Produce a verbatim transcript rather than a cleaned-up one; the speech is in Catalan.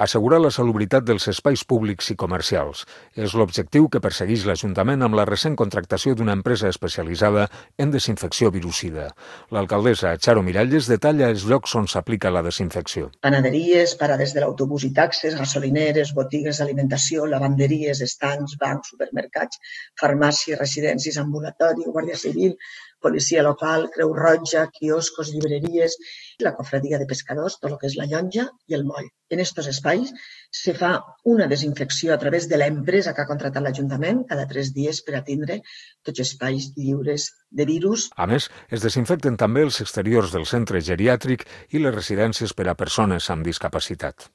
Assegurar la salubritat dels espais públics i comercials és l'objectiu que persegueix l'Ajuntament amb la recent contractació d'una empresa especialitzada en desinfecció virucida. L'alcaldessa Charo Miralles detalla els llocs on s'aplica la desinfecció. Panaderies, parades de l'autobús i taxes, gasolineres, botigues d'alimentació, lavanderies, estancs, bancs, supermercats, farmàcies, residències, ambulatori, guàrdia civil, policia local, Creu Roja, quioscos, llibreries, la cofradia de pescadors, tot el que és la llonja i el moll. En aquests espais se fa una desinfecció a través de l'empresa que ha contractat l'Ajuntament cada tres dies per atendre tots els espais lliures de virus. A més, es desinfecten també els exteriors del centre geriàtric i les residències per a persones amb discapacitat.